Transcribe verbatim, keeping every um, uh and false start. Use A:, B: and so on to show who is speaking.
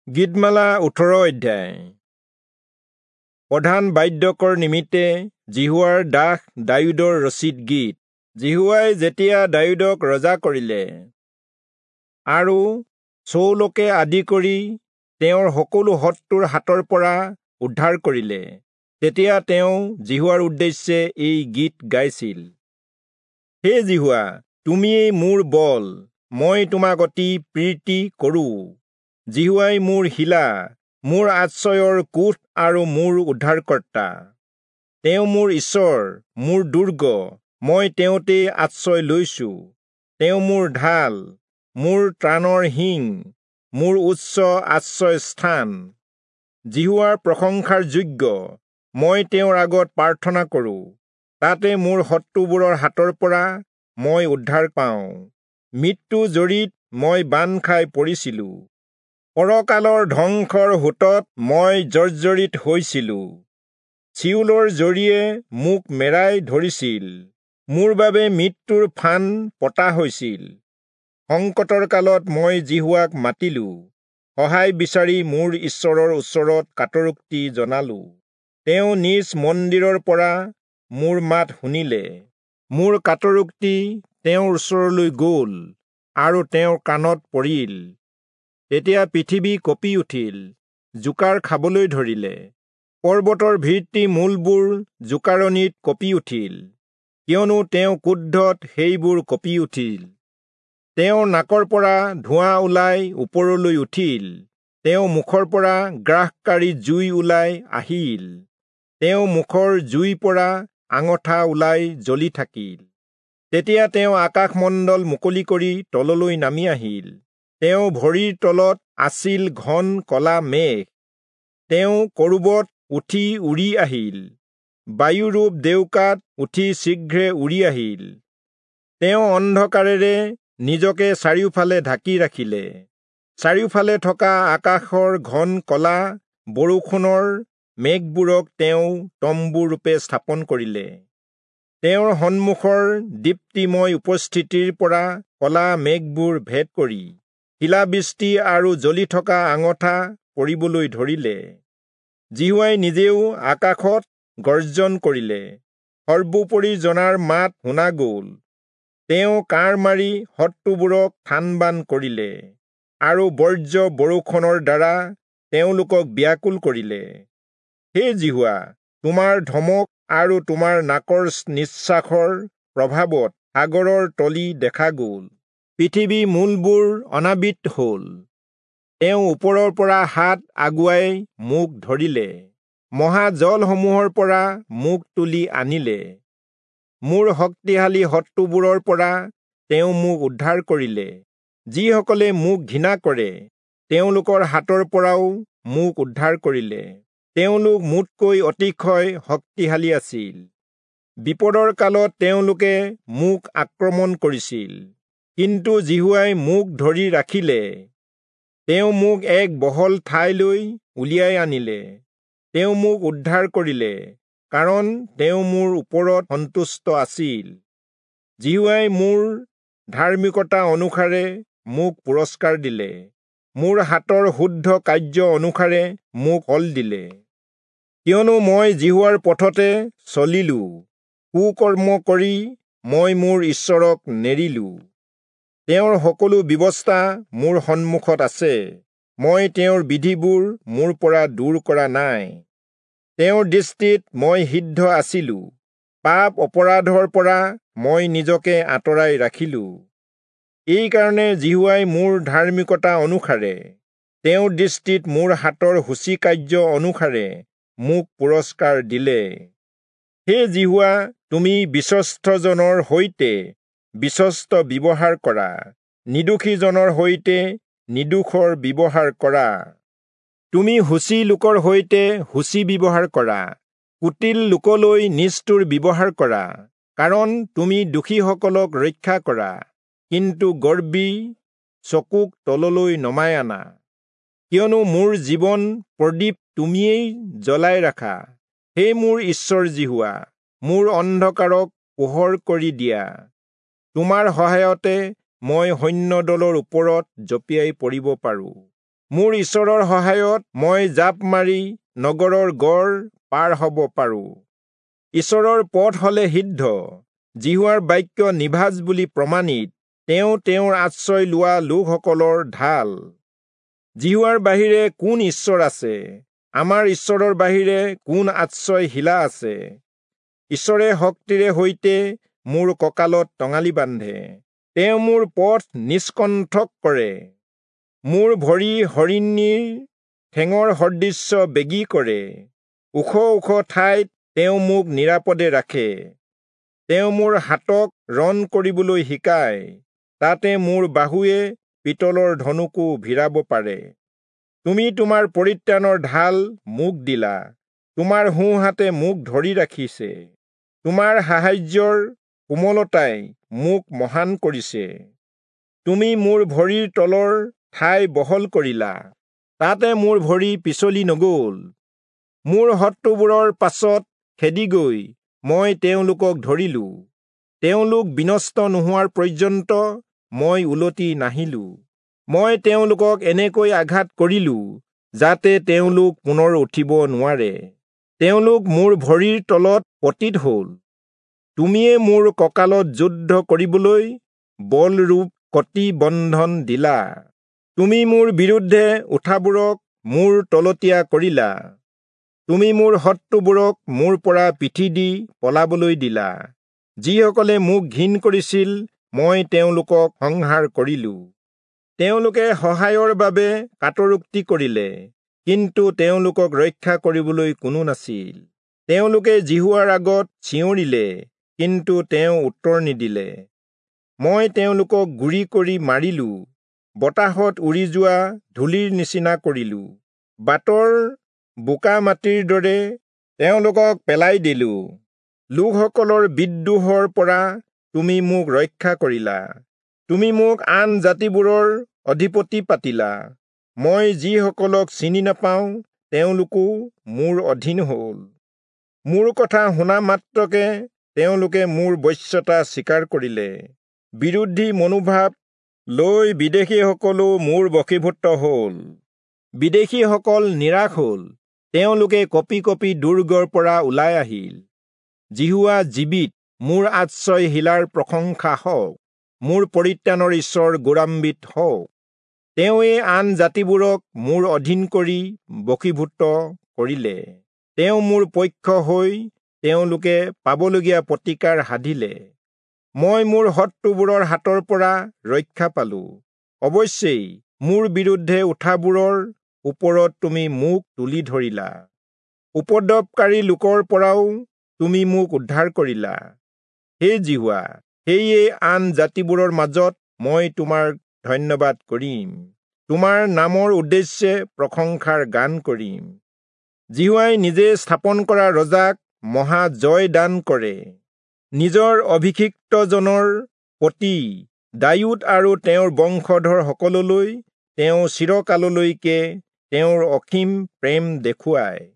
A: গীতমালা ওঠৰ অধ্যায়। প্ৰধান বাদ্যকৰ নিমিত্তে যিহোৱাৰ দাস দায়ূদৰ ৰচিত গীত। যিহোৱাই যেতিয়া দায়ূদক ৰজা কৰিলে আৰু চৌলকে আদি কৰি তেওঁৰ সকলো শত্ৰুৰ হাতৰ পৰা উদ্ধাৰ কৰিলে, তেতিয়া তেওঁ যিহোৱাৰ উদ্দেশ্যে এই গীত গাইছিল। হে যিহোৱা, তুমিয়েই মোৰ বল, মই তোমাক অতি প্ৰীতি কৰোঁ। যিহোৱাই মোৰ শিলা, মোৰ আশ্ৰয়ৰ কোঠ আৰু মোৰ উদ্ধাৰকৰ্তা। তেওঁ মোৰ ঈশ্বৰ, মোৰ দুৰ্গ, মই তেওঁতেই আশ্ৰয় লৈছো। তেওঁ মোৰ ঢাল, মোৰ ত্ৰাণৰ শিং, মোৰ উচ্চ আশ্ৰয় স্থান। যিহোৱাৰ প্ৰশংসাৰ যোগ্য, মই তেওঁৰ আগত প্ৰাৰ্থনা কৰোঁ, তাতে মোৰ শত্ৰুবোৰৰ হাতৰ পৰা মই উদ্ধাৰ পাওঁ। মৃত্যু জৰীত মই বান্ধ খাই পৰিছিলো, পৰকালৰ ধ্বংসৰ সোঁতত মই জৰ্জৰিত হৈছিলো। চিয়োলৰ জৰীয়ে মোক মেৰাই ধৰিছিল, মোৰ বাবে মৃত্যুৰ ফান পতা হৈছিল। সংকটৰ কালত মই যিহোৱাক মাতিলো, সহায় বিচাৰি মোৰ ঈশ্বৰৰ ওচৰত কাতৰোক্তি জনালো। তেওঁ নিজ মন্দিৰৰ পৰা মোৰ মাত শুনিলে, মোৰ কাতৰোক্তি তেওঁৰ ওচৰলৈ গ'ল আৰু তেওঁৰ কাণত পৰিল। তেতিয়া পৃথিৱী কঁপি উঠিল, জোকাৰ খাবলৈ ধৰিলে, পৰ্বতৰ ভিত্তি মূলবোৰ জোকাৰণিত কঁপি উঠিল, কিয়নো তেওঁ ক্ৰোধত সেইবোৰ কঁপি উঠিল। তেওঁৰ নাকৰ পৰা ধোঁৱা ওলাই ওপৰলৈ উঠিল, তেওঁ মুখৰ পৰা গ্ৰাসকাৰী জুই ওলাই আহিল, তেওঁ মুখৰ জুইৰ পৰা আঙঠা ওলাই জ্বলি থাকিল। তেতিয়া তেওঁ আকাশমণ্ডল মুকলি কৰি তললৈ নামি আহিল, তেওঁ ভৰিৰ তলত আছিল ঘন কলা মেঘ। তেওঁ কৰূবত উঠি উৰি আহিল, বায়ুৰূপ ডেউকাত উঠি শীঘ্ৰে উৰি আহিল। তেওঁ অন্ধকাৰেৰে নিজকে চাৰিওফালে ঢাকি ৰাখিলে, চাৰিওফালে থকা আকাশৰ ঘন কলা বৰষুণৰ মেঘবোৰক তেওঁ তম্বুৰূপে স্থাপন কৰিলে। তেওঁৰ সন্মুখৰ দীপ্তিময় উপস্থিতিৰ পৰা কলা মেঘবোৰ ভেদ কৰি শিলাবৃষ্টি আৰু জ্বলি থকা আঙঠা পৰিবলৈ ধৰিলে। যিহোৱাই নিজেও আকাশত গৰ্জন কৰিলে, সৰ্বোপৰি জনাৰ মাত শুনা গ'ল। তেওঁ কাঁড় মাৰি শত্ৰুবোৰক থানবান কৰিলে আৰু বৰ্জ্য বৰষুণৰ দ্বাৰা তেওঁলোকক ব্যাকুল কৰিলে। হে যিহোৱা, তোমাৰ ধমক আৰু তোমাৰ নাকৰ নিশ্বাসৰ প্ৰভাৱত সাগৰৰ তলি দেখা গ'ল, পৃথিৱী মূলবোৰ অনাবৃত হ'ল। তেওঁ ওপৰৰ পৰা হাত আগুৱাই মোক ধৰিলে, মহাজলসমূহৰ পৰা মোক তুলি আনিলে। মোৰ শক্তিশালী শত্ৰুবোৰৰ পৰা তেওঁ মোক উদ্ধাৰ কৰিলে, যিসকলে মোক ঘৃণা কৰে তেওঁলোকৰ হাতৰ পৰাও মোক উদ্ধাৰ কৰিলে। তেওঁলোক মোতকৈ অতিশয় শক্তিশালী আছিল, বিপদৰ কালত তেওঁলোকে মোক আক্ৰমণ কৰিছিল, কিন্তু যিহোৱাই মোক ধৰি ৰাখিলে। তেওঁ মোক এক বহল ঠাইলৈ উলিয়াই আনিলে, তেওঁ মোক উদ্ধাৰ কৰিলে, কাৰণ তেওঁ মোৰ ওপৰত সন্তুষ্ট আছিল। যিহোৱাই মোৰ ধাৰ্মিকতা অনুসাৰে মোক পুৰস্কাৰ দিলে, মোৰ হাতৰ শুদ্ধ কাৰ্য অনুসাৰে মোক ফল দিলে। কিয়নো মই যিহোৱাৰ পথতে চলিলো, কুকৰ্ম কৰি মই মোৰ ঈশ্বৰক নেৰিলো। তেওঁৰ সকলো ব্যৱস্থা মোৰ সন্মুখত আছে, মই তেওঁৰ বিধিবোৰ মোৰ পৰা দূৰ কৰা নাই। তেওঁৰ দৃষ্টিত মই সিদ্ধ আছিলো, পাপ অপৰাধৰ পৰা মই নিজকে আঁতৰাই ৰাখিলো। এইকাৰণে যিহোৱাই মোৰ ধাৰ্মিকতা অনুসাৰে, তেওঁৰ দৃষ্টিত মোৰ হাতৰ শুচি কাৰ্য অনুসাৰে মোক পুৰস্কাৰ দিলে। হে যিহোৱা, তুমি বিশ্বস্তজনৰ সৈতে বিশ্বস্ত ব্যৱহাৰ কৰা, নিৰ্দোষীজনৰ সৈতে নিৰ্দোষৰ ব্যৱহাৰ কৰা। তুমি শুচি লোকৰ সৈতে শুচি ব্যৱহাৰ কৰা, কুটিল লোকলৈ নিষ্ঠুৰ ব্যৱহাৰ কৰা, কাৰণ তুমি দোষীসকলক ৰক্ষা কৰা, কিন্তু গৰ্বী চকুক তললৈ নমাই আনা। কিয়নো মোৰ জীৱন প্ৰদীপ তুমিয়েই জ্বলাই ৰাখা, হে মোৰ ঈশ্বৰ যিহোৱা, মোৰ অন্ধকাৰক পোহৰ কৰি দিয়া। তোমাৰ সহায়তে মই সৈন্যদলৰ ওপৰত জঁপিয়াই পৰিব পাৰোঁ, মোৰ ঈশ্বৰৰ সহায়ত মই জাপ মাৰি নগৰৰ গড় পাৰ হ'ব পাৰোঁ। ঈশ্বৰৰ পথ হলে সিদ্ধ, যিহোৱাৰ বাক্য নিভাঁজ বুলি প্ৰমাণিত। তেওঁ তেওঁৰ আশ্ৰয় লোৱা লোকসকলৰ ঢাল। যিহোৱাৰ বাহিৰে কোন ঈশ্বৰ আছে? আমাৰ ঈশ্বৰৰ বাহিৰে কোন আশ্ৰয় শিলা আছে? ঈশ্বৰে শক্তিৰে সৈতে মোৰ কঁকালত টঙালি বান্ধে। তেওঁ মোৰ পথ নিষ্কণ্ঠক কৰে। মোৰ ভৰি হৰিণীৰ ঠেঙৰ সদৃশ্য বেগী কৰে। ওখ ওখ ঠাইত তেওঁ মোক নিৰাপদে ৰাখে। তেওঁ মোৰ হাতক ৰণ কৰিবলৈ শিকায়, তাতে মোৰ বাহুৱে পিতলৰ ধনুকো ভিৰাব পাৰে। তুমি তোমাৰ পৰিত্ৰাণৰ ঢাল মোক দিলা, তোমাৰ সোঁহাতে মোক ধৰি ৰাখিছে। তোমাৰ সাহায্যৰ কোমলতাই মোক মহান কৰিছে। তুমি মোৰ ভৰিৰ তলৰ ঠাই বহল কৰিলা, তাতে মোৰ ভৰি পিছলি নগ'ল। মোৰ শত্ৰুবোৰৰ পাছত খেদি গৈ মই তেওঁলোকক ধৰিলো। তেওঁলোক বিনষ্ট নোহোৱাৰ পৰ্যন্ত মই উলটি নাহিলো। মই তেওঁলোকক এনেকৈ আঘাত কৰিলো যাতে তেওঁলোক পুনৰ উঠিব নোৱাৰে। তেওঁলোক মোৰ ভৰিৰ তলত পতিত হ'ল। তুমিয়ে মোৰ কঁকালত যুদ্ধ কৰিবলৈ বলৰূপ কটি বন্ধন দিলা। তুমি মোৰ বিৰুদ্ধে উঠাবোৰক মোৰ তলতীয়া কৰিলা। তুমি মোৰ শত্ৰুবোৰক মোৰ পৰা পিঠি দি পলাবলৈ দিলা। যিসকলে মোক ঘিণ কৰিছিল মই তেওঁলোকক সংহাৰ কৰিলো। তেওঁলোকে সহায়ৰ বাবে কাতৰোক্তি কৰিলে, কিন্তু তেওঁলোকক ৰক্ষা কৰিবলৈ কোনো নাছিল। তেওঁলোকে যিহোৱাৰ আগত চিঞৰিলে, কিন্তু তেওঁ উত্তৰ নিদিলে। মই তেওঁলোকক গুৰি কৰি মাৰিলো, বতাহত উৰি যোৱা ধূলিৰ নিচিনা কৰিলো। বাটৰ বোকা মাটিৰ দৰে তেওঁলোকক পেলাই দিলো। লোকসকলৰ বিদ্ৰোহৰ পৰা তুমি মোক ৰক্ষা কৰিলা। তুমি মোক আন জাতিবোৰৰ অধিপতি পাতিলা। মই যিসকলক চিনি নাপাওঁ তেওঁলোকো মোৰ অধীন হ'ল। মোৰ কথা শুনা মাত্ৰকে তেওঁলোকে মোৰ বশ্যতা স্বীকাৰ কৰিলে। বিৰোধী মনোভাৱ লৈ বিদেশীসকলো মোৰ বশীভূত হ'ল। বিদেশীসকল নিৰাশ হ'ল, তেওঁলোকে কঁপি কঁপি দুৰ্গৰ পৰা ওলাই আহিল। যিহোৱা জীৱিত, মোৰ আশ্ৰয় শিলাৰ প্ৰশংসা হওক। মোৰ পৰিত্ৰাণৰ ঈশ্বৰ গৌৰৱান্বিত হওক। তেওঁৱে আন জাতিবোৰক মোৰ অধীন কৰি বশীভূত কৰিলে। তেওঁ মোৰ পক্ষ হৈ তেওঁলোকে পাবলগীয়া প্ৰতিকাৰ সাধিলে। মই মোৰ শত্ৰুবোৰৰ হাতৰ পৰা ৰক্ষা পালো। অৱশ্যেই মোৰ বিৰুদ্ধে উঠাবোৰৰ ওপৰত তুমি মোক তুলি ধৰিলা। উপদ্ৰৱকাৰী লোকৰ পৰাও তুমি মোক উদ্ধাৰ কৰিলা। হে যিহোৱা, সেয়ে আন জাতিবোৰৰ মাজত মই তোমাৰ ধন্যবাদ কৰিম, তোমাৰ নামৰ উদ্দেশ্যে প্ৰশংসাৰ গান কৰিম। যিহোৱাই নিজে স্থাপন কৰা ৰজাক মহা জয় দান কৰে। নিজৰ অভিষিক্তজনৰ প্ৰতি দায়ূদ আৰু তেওঁৰ বংশধৰসকললৈ তেওঁ চিৰকাললৈকে তেওঁৰ অসীম প্ৰেম দেখুৱায়।